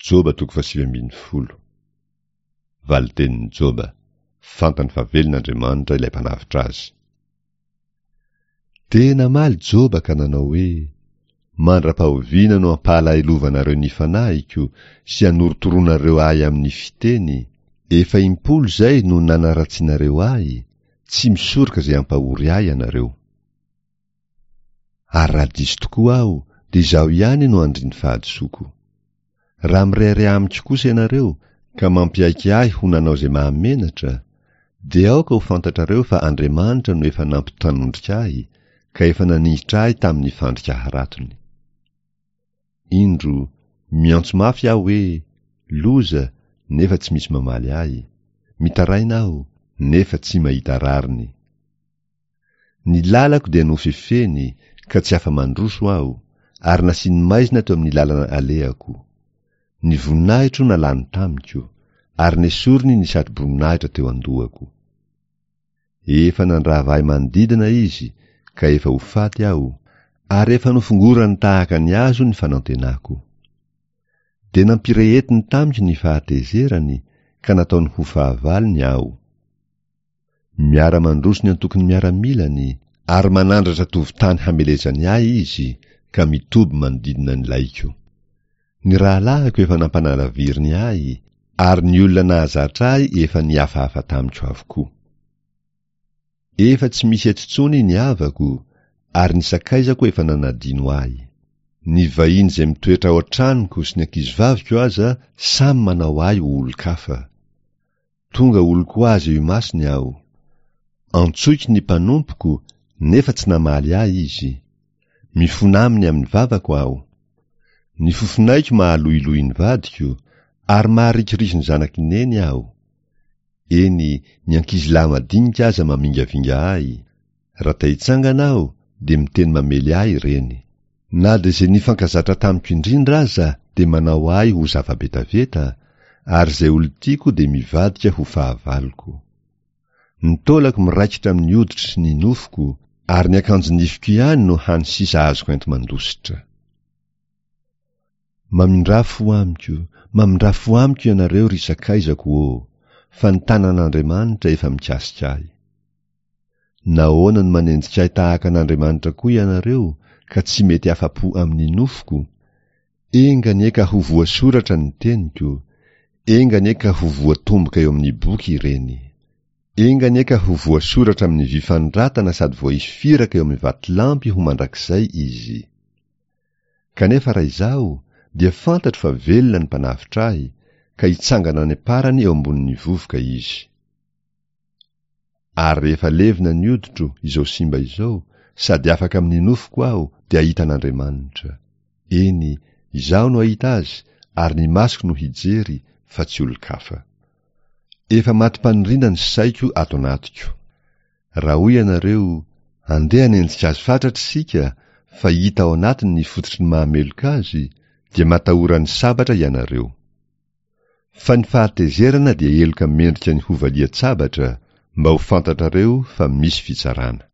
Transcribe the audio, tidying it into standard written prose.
Joba toko fahasivy ambin'ny folo. Valin-tenin'i Joba, Fantany fa velona Andriamanitra ilay Mpanavotra azy. Dia namaly Joba ka nanao hoe, Mandra-pahoviana no hampahalahelovanareo ny fanahiko sy hanorotoroanareo ahy amin'ny fiteny? Efa impolo izay no nanaratsianareo ahy, tsy misoroka izay hampahory ahy ianareo. Ary raha diso tokoa aho, dia izaho ihany no andrin'ny fahadisoako. Raha mirehareha amiko kosa ianareo, ka mampiaiky ahy ho nanao izay mahamenatra, dia aoka ho fantatrareo fa Andriamanitra no efa nampitanondrika ahy, ka efa naningitra ahy tamin'ny fandrika haratony. Indro, miantso mafy aho hoe, Loza, nefa tsy misy mamaly ahy. Mitaraina aho, nefa tsy mahita rariny. Ny lalako dia nofefeny, ka tsy afa-mandroso aho, ary nasiany maizina teo amin'ny lalana alehako. Ny voninahitro nalany tamiko, ary nesoriny ny satroboninahitra teo an-dohako. Efa nandrava ahy manodidina izy, ka efa ho faty aho, ary efa nofongorany tahaka ny hazo ny fanantenako. Dia nampirehetiny tamiko ny fahatezerany, ka nataony ho fahavalony aho. Miara-mandroso ny antokon'ny miaramilany, ary manandratra tovon-tany hamelezany ahy izy, ka mitoby manodidina ny laiko. Ny rahalahiko efa nampanalaviriny ahy, ary ny olona nahazatra ahy efa nihafahafa tamiko avokoa. Efa tsy misy eto intsony ny havako, ary ny sakaizako efa nanadino ahy. Ny vahiny izay mitoetra ao an-tranoko sy ny ankizivaviko aza samy manao ahy ho olon-kafa. Tonga olon-ko azy eo imasony aho. Antsoiko ny mpanompoko, nefa tsy namaly ahy izy. Mifona aminy amin'ny vavako aho. Ny fofonaiko mahaloiloy ny vadiko, ary maharikoriky ny zanak'i Neny aho. Eny, ny ankizilahy madinika aza mamingavinga ahy. Raha te-hitsangana aho, dia miteny mamely ahy ireny. Na dia izay nifankazatra tamiko indrindra aza dia manao ahy ho zava-betaveta, ary izay olon-tiako dia mivadika ho fahavaloko. Ny taolako miraikitra amin'ny hoditro sy ny nofoko, ary ny akanjo-nifiko ihany no hany sisa azoko enti-mandositra. Mamindrà fo amiko, mamindrà fo amiko ianareo ry sakaizako ô, fa ny tanan'Andriamanitra efa mikasika ahy. Nahoana no manenjika ahy tahaka an'Andriamanitra koa ianareo ka tsy mety afa-po amin'ny nofoko? Enga anie ka ho voasoratra ny teniko, enga anie ka ho voatomboka eo amin'ny boky ireny. Enga anie ka ho voasoratra amin'ny vy fanoratana sady voaisy firaka eo amin'ny vatolampy ho mandrakizay izy. Kanefa raha izaho, dia fantatro fa velona ny Mpanavotra ahy, ka hitsangana any am-parany eo ambonin'ny vovoka izy. Ary rehefa levona ny hoditro, izao simba izao, sady afaka amin'ny nofoko aho, dia hahita an'Andriamanitra. Eny, izaho no hahita Azy, ary ny masoko no hijery, fa tsy olon-kafa. Efa matim-paniriana ny saiko ato anatiko. Raha hoy ianareo, Andeha hanenjika azy fatratra isika, fa hita ao anatiny ny fototry ny maha-meloka azy, dia matahora ny sabatra ianareo. Fa ny fahatezerana dia heloka mendrika ny hovalian-tsabatra, mba ho fantatrareo fa misy fitsarana.